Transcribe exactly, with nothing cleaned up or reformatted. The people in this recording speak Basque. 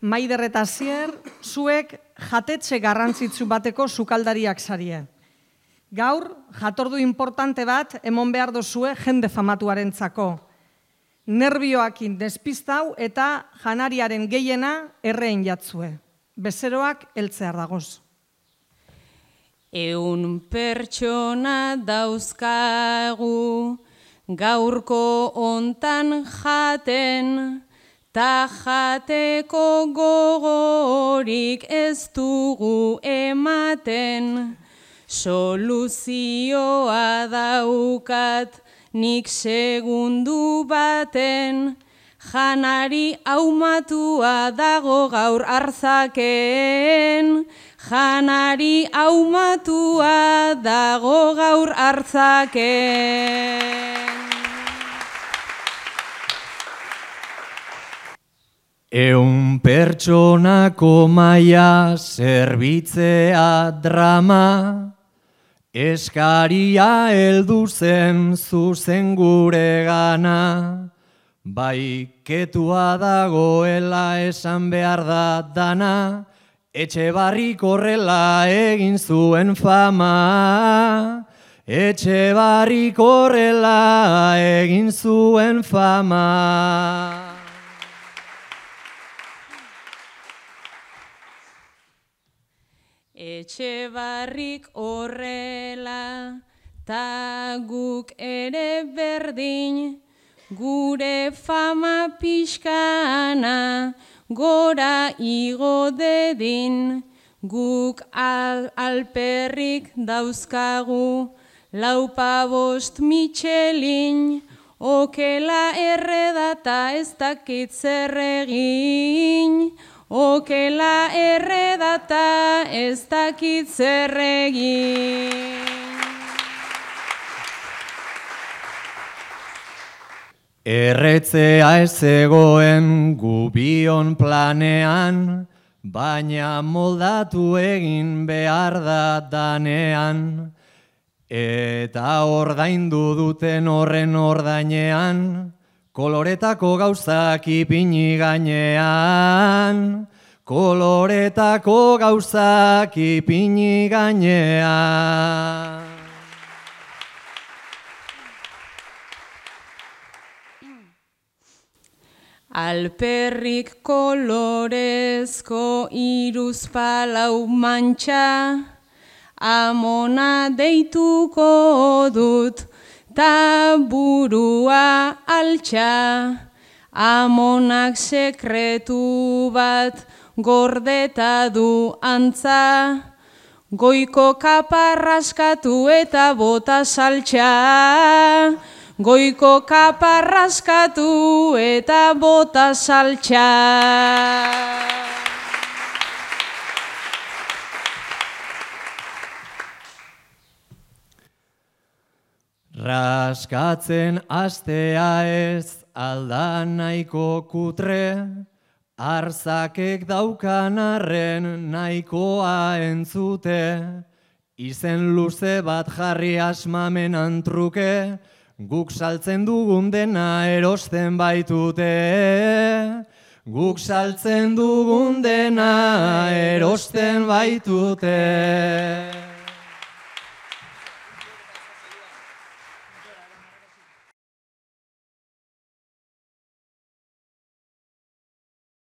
Maider eta Asier, zuek jatetxe garrantzitsu bateko sukaldariak zarie. Gaur, jatordu importante bat emon behar dozue jende famatuarentzako. Nerbioakin despistau eta janariaren gehiena erreen jatzue. Bezeroak heltzear dagoz. Eun pertsona dauzkagu, gaurko ontan jaten, ta jateko gogorik ez dugu ematen. Soluzioa daukat nik segundu baten, janari aumatua dago gaur arzaken. Janari aumatua dago gaur hartzaken. Eun pertsonako maia zerbitzea drama, eskaria heldu zen zuzen gure gana, bai ketua dagoela esan behar da dana, Etxebarrik horrela egin zuen fama, Etxebarrik horrela egin zuen fama. Etxebarrik horrela, ta guk ere berdin, gure fama pixkana, gora igo dedin, guk al alperrik dauzkagu, laupa bost Michelin, okela erredata ez dakit zer egin, okela erredata ez dakit zer egin. Erretzea ez zegoen gubion planean, baina moldatu egin behar da danean, eta ordaindu duten horren ordainean, koloretako gauzak ipini gainean, koloretako gauzak ipini gainean. Alperrik kolorezko iruzpalau mantxa, amona deituko dut, ta burua altxa. Amonak sekretu bat gordeta du antza, goiko kaparraskatu eta bota saltxa. Goiko kaparraskatu eta bota saltxa. Raskatzen astea ez alda nahiko kutre, arzakek daukan arren nahikoa entzute, izen luze bat jarri asmamenan truke, guk saltzen dugun dena erosten baitute, guk saltzen dugun dena erosten baitute.